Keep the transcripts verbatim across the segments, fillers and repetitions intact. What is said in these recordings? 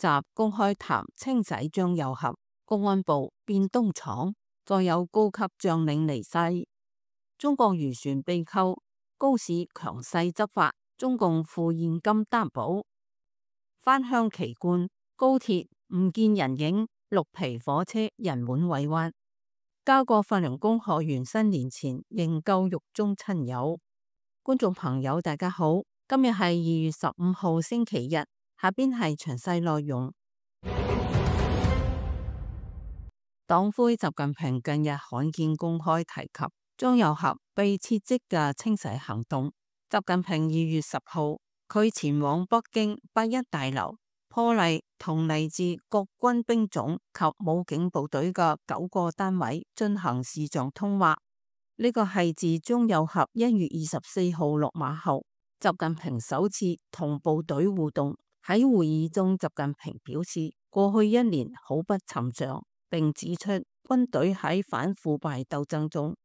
習公開談清洗張又俠，公安部變東廠，再有高級將領離世。中國漁船被扣，高市強勢執法，中共付現金擔保。返鄉奇觀，高鐵唔見人影，綠皮火車人滿為患。加國法輪功學員新年前營救獄中親友。觀眾朋友大家好，今日係二月十五號星期日，下邊係詳細內容。黨魁習近平近日罕見公開提及張又俠被撤職嘅清洗行動。習近平二月十號佢前往北京八一大樓破例同嚟自各軍兵種及武警部隊嘅九個單位進行視像通話。呢個係自張又俠一月二十四號落馬後，習近平首次同部隊互動。喺會議中，習近平表示過去一年好不尋常，並指出軍隊喺反腐敗鬥爭中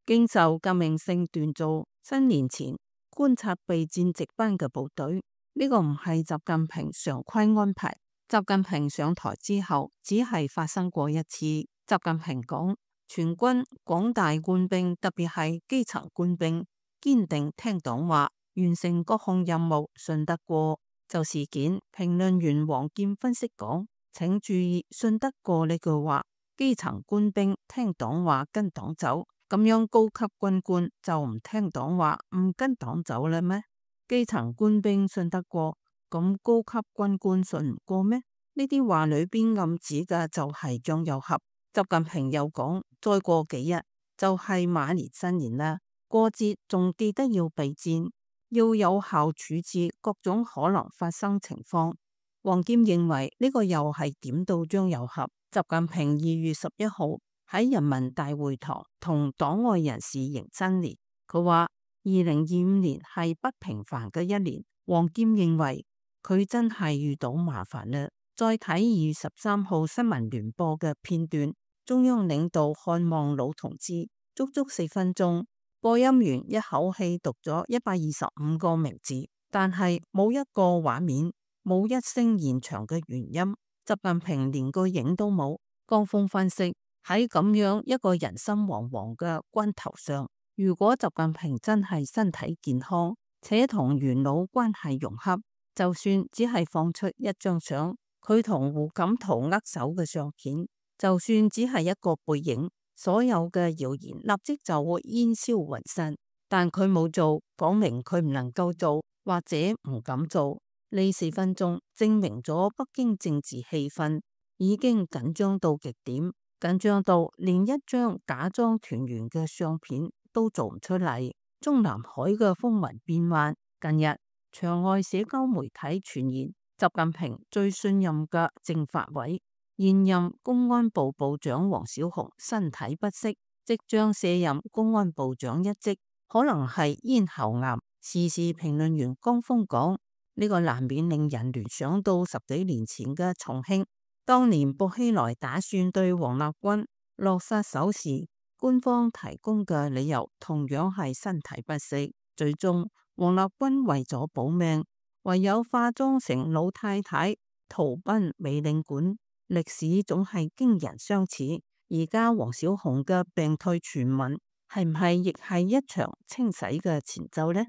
經受革命性鍛造。新年前觀察備戰值班嘅部隊，呢個唔係習近平常規安排。習近平上台之後，只係發生過一次。習近平講，全軍廣大官兵，特別係基層官兵，堅定聽黨話，完成各項任務，信得過。就事件，評論員王劍分析講，請注意信得過呢句話，基層官兵聽黨話跟黨走，咁樣高級軍官就唔聽黨話唔跟黨走啦咩？基層官兵信得過，咁高級軍官信唔過咩？呢啲話裏邊暗指嘅就係張又俠。習近平又講，再過幾日就係馬年新年啦，過節仲記得要備戰，要有效處置各種可能發生情況。王劍認為呢個又係點到張又俠。習近平二月十一號喺人民大會堂同黨外人士迎新年，佢話二零二五年係不平凡嘅一年。王劍認為佢真係遇到麻煩啦。再睇二月十三號新聞聯播嘅片段，中央領導看望老同志，足足四分鐘，播音員一口氣讀咗一百二十五個名字，但係冇一個畫面，冇一聲現場嘅原音。習近平連個影都冇。江峰分析，喺咁樣一個人心惶惶嘅關頭上，如果習近平真係身體健康，且同元老關係融洽，就算只係放出一張相，佢同胡錦濤握手嘅相片，就算只係一個背影，所有嘅謠言立即就會煙消雲散。但佢冇做，講明佢唔能夠做，或者唔敢做。呢四分鐘證明咗北京政治氣氛已經緊張到極點，緊張到連一張假裝團圓嘅相片都做唔出嚟。中南海嘅風雲變幻，近日場外社交媒體傳言，習近平最信任嘅政法委現任公安部部長王小洪身體不適，即將卸任公安部長一職，可能係咽喉癌。時事評論員江峰講，呢個難免令人聯想到十幾年前嘅重慶，當年薄熙來打算對王立軍落殺手時，官方提供嘅理由同樣係身體不適。最終王立軍為咗保命，唯有化妝成老太太逃奔美領館。歷史總係驚人相似。而家王小洪嘅病退傳聞係唔係亦係一場清洗嘅前奏呢？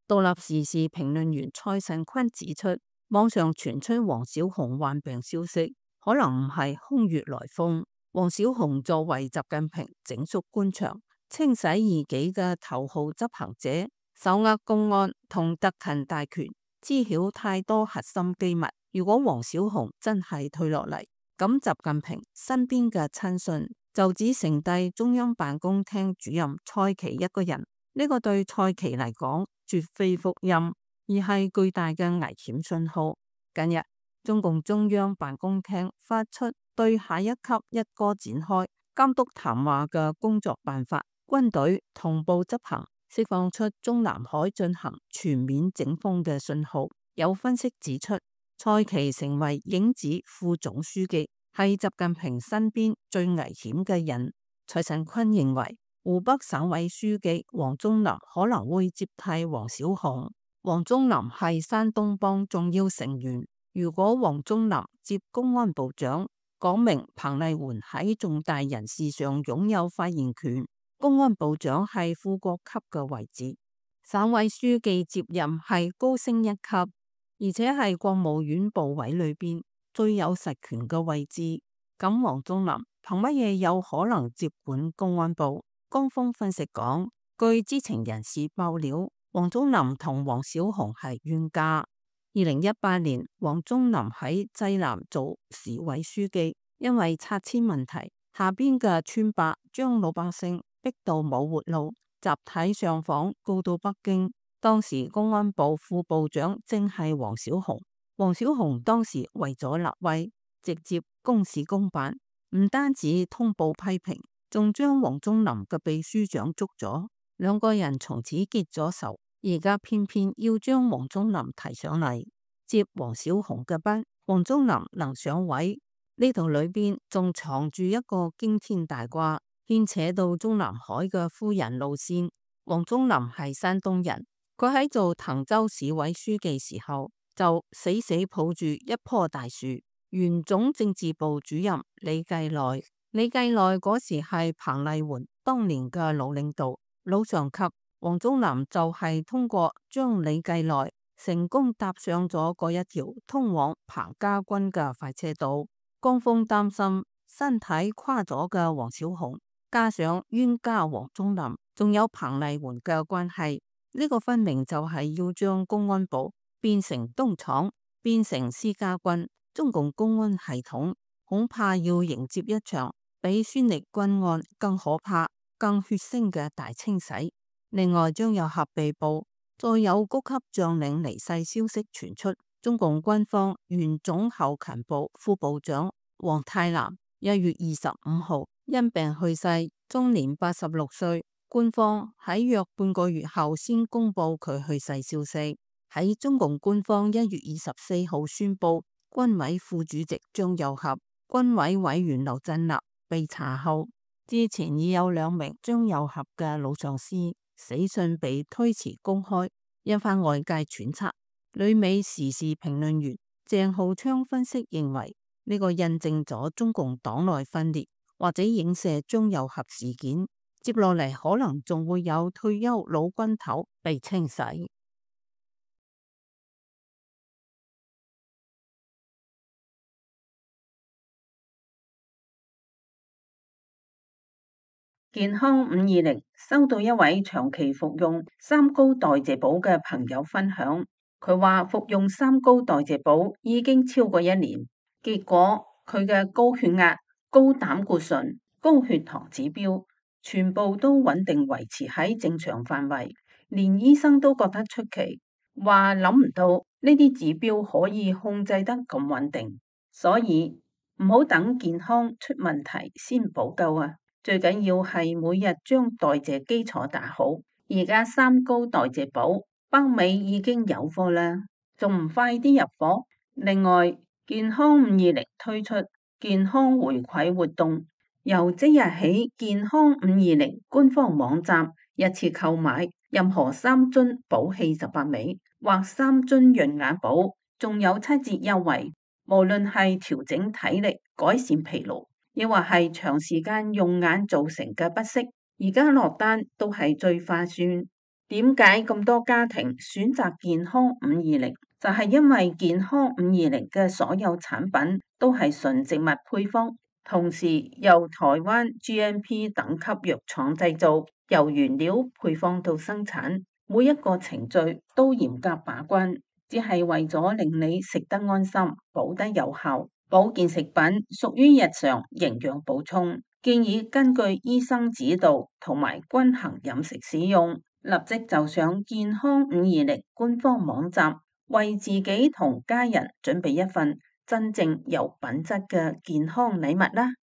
獨立時事評論員蔡慎坤指出，網上傳出王小洪患病消息，可能唔係空穴來風。王小洪作為習近平整肅官場、清洗異己嘅頭號執行者，手握公安同特勤大權，知曉太多核心機密。如果王小洪真係退落嚟，咁習近平身邊嘅親信就只剩低中央辦公廳主任蔡奇一個人。呢個對蔡奇嚟講絕非福音，而係巨大嘅危險信號。近日中共中央辦公廳發出對下一級一哥展開監督談話嘅工作辦法，軍隊同步執行，釋放出中南海進行全面整風嘅信號。有分析指出，蔡奇成為影子副總書記，係習近平身邊最危險嘅人。蔡慎坤認為，湖北省委書記王忠林可能會接替王小洪。王忠林係山東幫重要成員，如果黃宗林接公安部長，講明彭麗媛喺重大人事上擁有發言權，公安部長係副國級嘅位置，省委書記接任係高升一級，而且係國務院部委裏邊最有實權嘅位置。咁黃宗林憑乜嘢有可能接管公安部？江峰分析講，據知情人士爆料，黃宗林同王小洪係冤家。二零一八年，黃宗林喺濟南做市委書記，因為拆遷問題，下邊嘅村伯將老百姓逼到冇活路，集體上訪告到北京。當時公安部副部長正係王小洪，王小洪當時為咗立威，直接公事公辦，唔單止通報批評，仲將黃宗林嘅秘書長捉咗，兩個人從此結咗仇。而家偏偏要將黃宗林提上嚟接黃小洪嘅班，黃宗林能上位？呢度裏邊仲藏住一個驚天大瓜，牽扯到中南海嘅夫人路線。黃宗林係山東人，佢喺做滕州市委書記時候就死死抱住一棵大樹。原總政治部主任李繼內，李繼內嗰時係彭麗媛當年嘅老領導、老上級。黃宗林就係通過將李繼內成功搭上咗嗰一條通往彭家軍嘅快車道。江峰擔心身體垮咗嘅王小洪，加上冤家黃宗林，仲有彭麗媛嘅關係，呢個分明就係要將公安部變成東廠，變成私家軍。中共公安系統恐怕要迎接一場比孫力軍案更可怕、更血腥嘅大清洗。另外，張又俠被捕，再有高級將領離世消息傳出。中共軍方原總後勤部副部長黃泰南一月二十五號因病去世，終年八十六歲。官方喺約半個月後先公布佢去世消息。喺中共官方一月二十四號宣布，軍委副主席張又俠、軍委委員劉振立被查後，之前已有兩名張又俠嘅老上司死訊被推遲公開，引發外界揣測。旅美時事評論員鄭浩昌分析認為，呢、這個印證咗中共黨內分裂，或者影射張又俠事件。接落嚟可能仲會有退休老軍頭被清洗。健康五二零收到一位長期服用三高代謝寶嘅朋友分享，佢話服用三高代謝寶已經超過一年，結果佢嘅高血壓、高膽固醇、高血糖指標全部都穩定維持喺正常範圍，連醫生都覺得出奇，話諗唔到呢啲指標可以控制得咁穩定，所以唔好等健康出問題先補救啊！最緊要係每日將代謝基礎打好。而家三高代謝寶北美已經有貨啦，仲唔快啲入貨？另外，健康五二零推出健康回饋活動，由即日起，健康五二零官方網站一次購買任何三樽寶氣十八味或三樽潤眼寶，仲有七折優惠。無論係調整體力、改善疲勞，亦或係長時間用眼造成嘅不適，而家落單都係最划算。點解咁多家庭選擇健康五二零？就係因為健康五二零嘅所有產品都係純植物配方，同時由台灣 G M P 等級藥廠製造，由原料配方到生產，每一個程序都嚴格把關，只係為咗令你食得安心，補得有效。保健食品屬於日常營養補充，建議根據醫生指導同埋均衡飲食使用。立即就上健康五二零官方網站，為自己同家人準備一份真正有品質嘅健康禮物啦！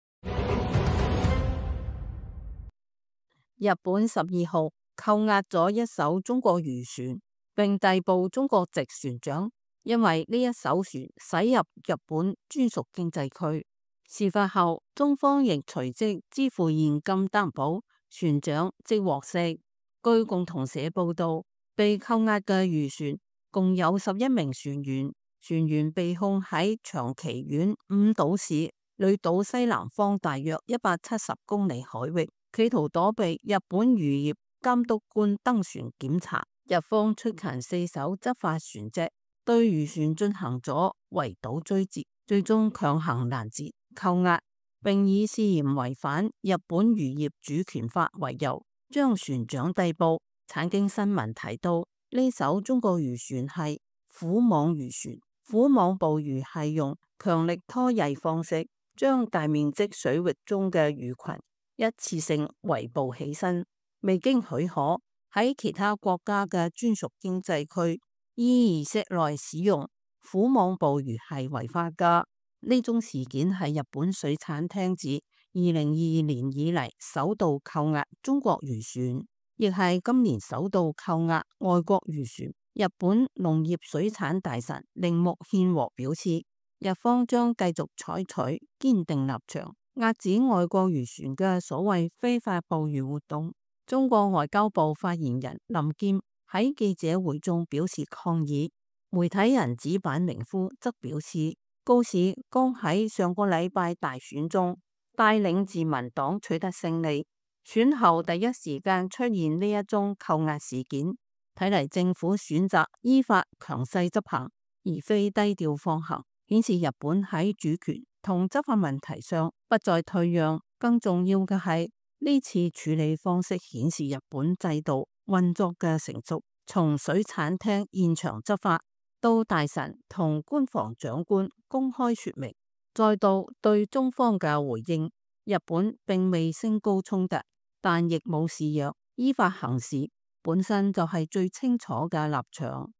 日本十二號扣押咗一艘中國漁船，並逮捕中國籍船長。因為呢一艘船駛入日本專屬經濟區，事發後中方亦隨即支付現金擔保，船長即獲釋。據共同社報道，被扣押嘅漁船共有十一名船員，船員被控喺長崎縣五島市女島西南方大約一百七十公里海域，企圖躲避日本漁業監督官登船檢查。日方出勤四艘執法船隻，對漁船進行咗圍堵追截，最終強行攔截扣押，並以涉嫌違反日本漁業主權法為由，將船長逮捕。產經新聞提到，呢艘中國漁船係虎網漁船，虎網捕魚係用強力拖曳方式，將大面積水域中嘅魚群一次性圍捕起身，未經許可喺其他國家嘅專屬經濟區伊爾室內使用虎網捕魚係違法噶。呢宗事件係日本水產廳自二零二二年以嚟首度扣押中國漁船，亦係今年首度扣押外國漁船。日本農業水產大臣鈴木憲和表示，日方將繼續採取堅定立場，遏止外國漁船嘅所謂非法捕魚活動。中國外交部發言人林劍喺記者會中表示抗議。媒體人紙板明夫則表示，高市剛喺上個禮拜大選中帶領自民黨取得勝利，選後第一時間出現呢一宗扣押事件，睇嚟政府選擇依法強勢執行，而非低調放行，顯示日本喺主權同執法問題上不再退讓。更重要嘅係，呢次處理方式顯示日本制度運作嘅成熟，從水產廳現場執法到大臣同官房長官公開說明，再到對中方嘅回應，日本並未升高衝突，但亦冇示弱，依法行事本身就係最清楚嘅立場。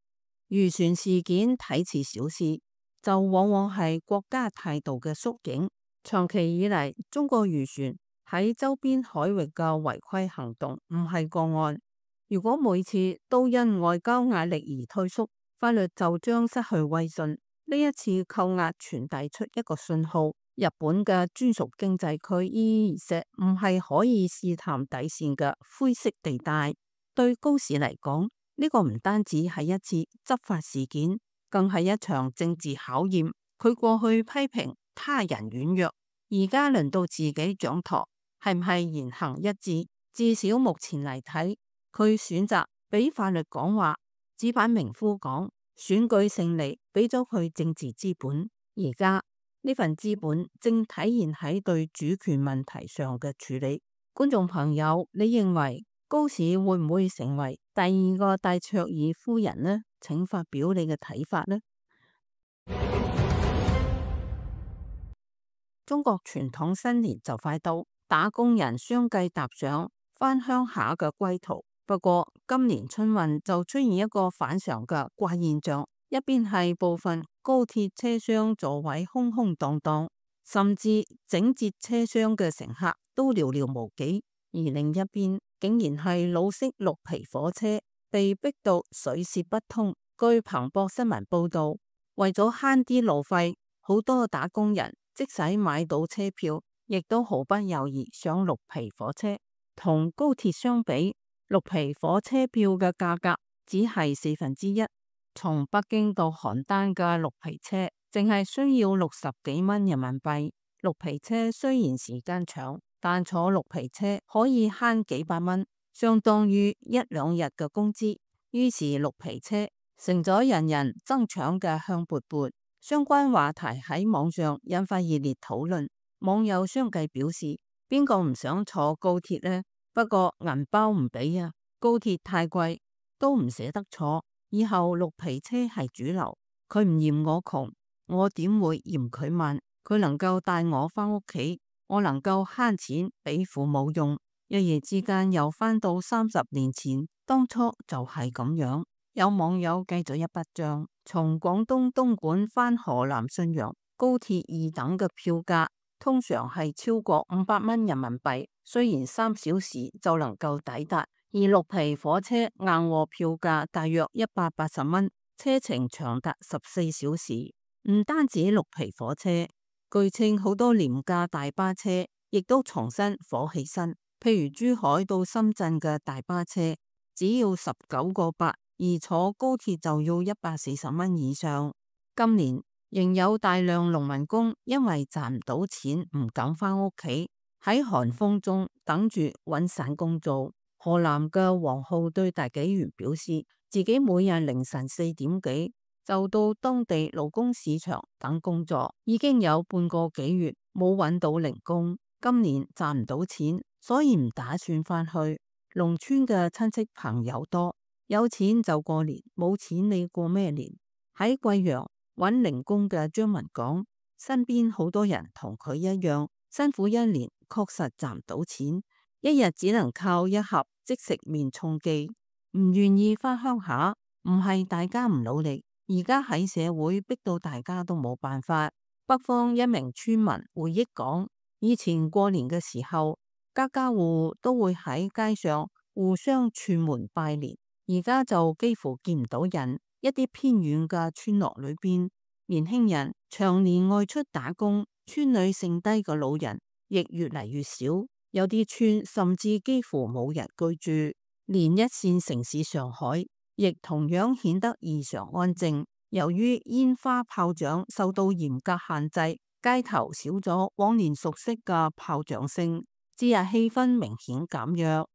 漁船事件睇似小事，就往往係國家態度嘅縮影。長期以嚟，中國漁船喺周邊海域嘅違規行動唔係個案。如果每次都因外交壓力而退縮，法律就將失去威信。呢一次扣押傳遞出一個信號，日本嘅專屬經濟區伊爾舍唔係可以試探底線嘅灰色地帶。對高市嚟講，呢個唔單止係一次執法事件，更係一場政治考驗。佢過去批評他人軟弱，而家輪到自己掌舵，係唔係言行一致？至少目前嚟睇，佢選擇俾法律講話。紙板明夫講，選舉勝利俾咗佢政治資本，而家呢份資本正體現喺對主權問題上嘅處理。觀眾朋友，你認為高市會唔會成為第二個戴卓爾夫人呢？請發表你嘅睇法呢？中國傳統新年就快到，打工人相繼踏上返鄉下嘅歸途。不過今年春運就出現一個反常嘅怪現象，一邊係部分高鐵車廂座位空空蕩蕩，甚至整節車廂嘅乘客都寥寥無幾；而另一邊竟然係老式綠皮火車被逼到水泄不通。據彭博新聞報道，為咗慳啲路費，好多打工人即使買到車票，亦都毫不猶豫上綠皮火車。同高鐵相比，綠皮火車票嘅價格只係四分之一。從北京到邯鄲嘅綠皮車，淨係需要六十幾蚊人民幣。綠皮車雖然時間長，但坐綠皮車可以慳幾百蚊，相當於一兩日嘅工資。於是綠皮車成咗人人爭搶嘅香饽饽。相關話題喺網上引發熱烈討論，網友相繼表示：邊個唔想坐高鐵呢？不過銀包唔俾啊，高鐵太貴，都唔捨得坐。以後綠皮車係主流，佢唔嫌我窮，我點會嫌佢慢？佢能夠帶我返屋企，我能夠慳錢俾父母用。一夜之間又返到三十年前，當初就係咁樣。有網友計咗一筆賬，從廣東東莞返河南信陽高鐵二等嘅票價通常係超過五百蚊人民幣，雖然三小時就能夠抵達，而綠皮火車硬貨票價大約一百八十蚊，車程長達十四小時。唔單止綠皮火車，據稱好多廉價大巴車亦都重新火起身，譬如珠海到深圳嘅大巴車只要十九個八，而坐高鐵就要一百四十蚊以上。今年仍有大量農民工因為賺唔到錢，唔敢返屋企，喺寒風中等住揾散工做。河南嘅黃浩對大紀元表示，自己每日凌晨四點幾就到當地勞工市場等工作，已經有半個幾月冇揾到零工。今年賺唔到錢，所以唔打算返去。農村嘅親戚朋友多，有錢就過年，冇錢你過咩年？喺貴陽揾零工嘅張文講，身邊好多人同佢一樣辛苦一年，確實賺唔到錢，一日只能靠一盒即食麵充飢，唔願意返鄉下。唔係大家唔努力，而家喺社會逼到大家都冇辦法。北方一名村民回憶講，以前過年嘅時候，家家戶戶都會喺街上互相串門拜年，而家就幾乎見唔到人。一啲偏遠嘅村落裏邊，年輕人長年外出打工，村裏剩低嘅老人亦越嚟越少，有啲村甚至幾乎冇人居住。連一線城市上海亦同樣顯得異常安靜。由於煙花炮仗受到嚴格限制，街頭少咗往年熟悉嘅炮仗聲，節日氣氛明顯減弱。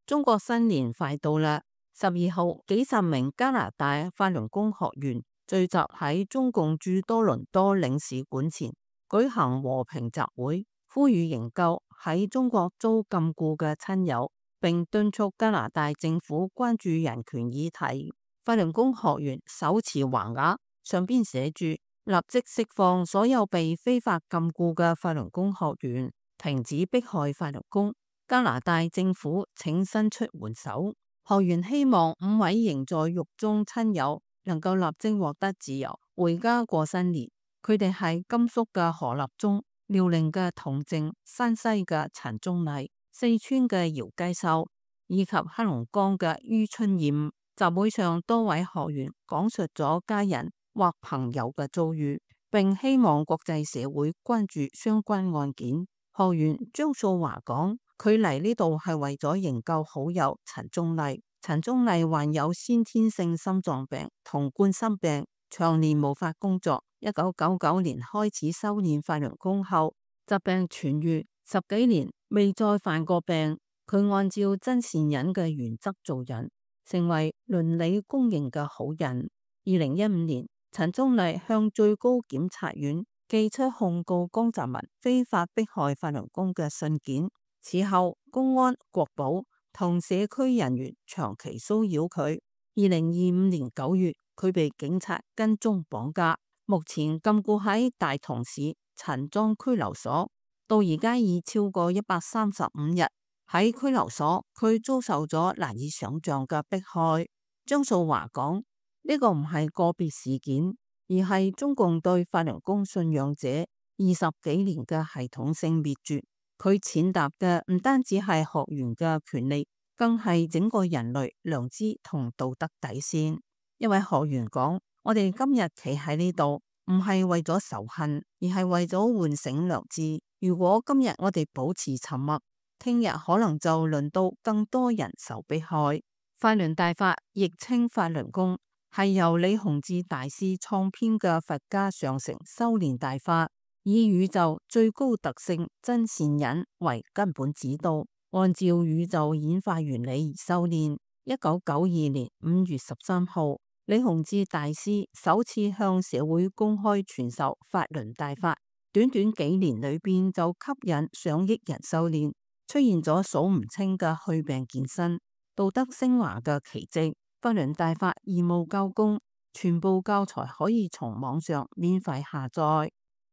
中國新年快到啦！十二號，幾十名加拿大法輪功學員聚集喺中共駐多倫多領事館前舉行和平集會，呼籲營救喺中國遭禁錮嘅親友，並敦促加拿大政府關注人權議題。法輪功學員手持橫額，上邊寫住立即釋放所有被非法禁錮嘅法輪功學員，停止迫害法輪功。加拿大政府請伸出援手。學員希望五位仍在獄中親友能夠立即獲得自由，回家過新年。佢哋係甘肅嘅何立忠、遼寧嘅童靜、山西嘅陳宗麗、四川嘅姚繼秀以及黑龍江嘅于春艷。集會上，多位學員講述咗家人或朋友嘅遭遇，並希望國際社會關注相關案件。學員張素華講，佢嚟呢度係為咗營救好友陳宗麗。陳宗麗患有先天性心臟病同冠心病，長年無法工作。一九九九年開始修煉法輪功後，疾病痊愈，十幾年未再犯過病。佢按照真善忍嘅原則做人，成為倫理公認嘅好人。二零一五年，陳宗麗向最高檢察院寄出控告江澤民非法迫害法輪功嘅信件。此後，公安、國保同社區人員長期騷擾佢。二零二五年九月，佢被警察跟蹤綁架，目前禁錮喺大同市陳莊拘留所，到而家已超過一百三十五日。喺拘留所，佢遭受咗難以想象嘅迫害。張素華講，呢個唔係個別事件，而係中共對法輪功信仰者二十幾年嘅系統性滅絕。佢踐踏嘅唔單止係學員嘅權利，更係整個人類良知同道德底線。一位學員講，我哋今日企喺呢度，唔係為咗仇恨，而係為咗喚醒良知。如果今日我哋保持沉默，聽日可能就輪到更多人受迫害。法輪大法亦稱法輪功，係由李洪志大師創編嘅佛家上乘修煉大法，以宇宙最高特性真善忍為根本指導，按照宇宙演化原理而修煉。一九九二年五月十三號，李洪志大師首次向社會公開傳授法輪大法，短短幾年裏邊就吸引上億人修煉，出現咗數唔清嘅去病健身、道德升華嘅奇蹟。法輪大法義務教功，全部教材可以從網上免費下載。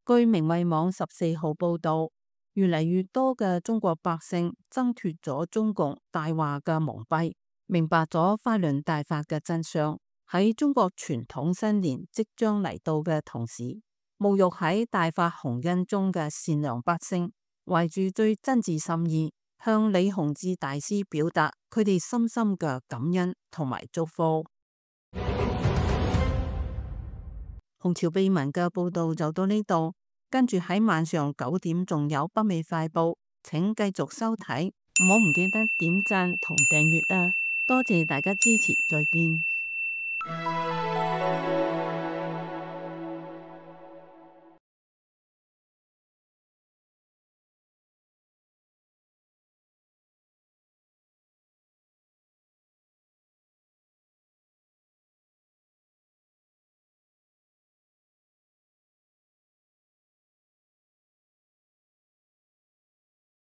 據明慧網十四號報道，越嚟越多嘅中國百姓掙脫咗中共大話嘅蒙蔽，明白咗法輪大法嘅真相。喺中國傳統新年即將嚟到嘅同時，沐浴喺大法洪恩中嘅善良百姓，懷住最真摯心意，向李洪志大師表達佢哋深深嘅感恩同埋祝福。紅潮秘聞嘅報道就到呢度，跟住喺晚上九點仲有北美快報，請繼續收睇，唔好唔記得點讚同訂閱啊！多謝大家支持，再見。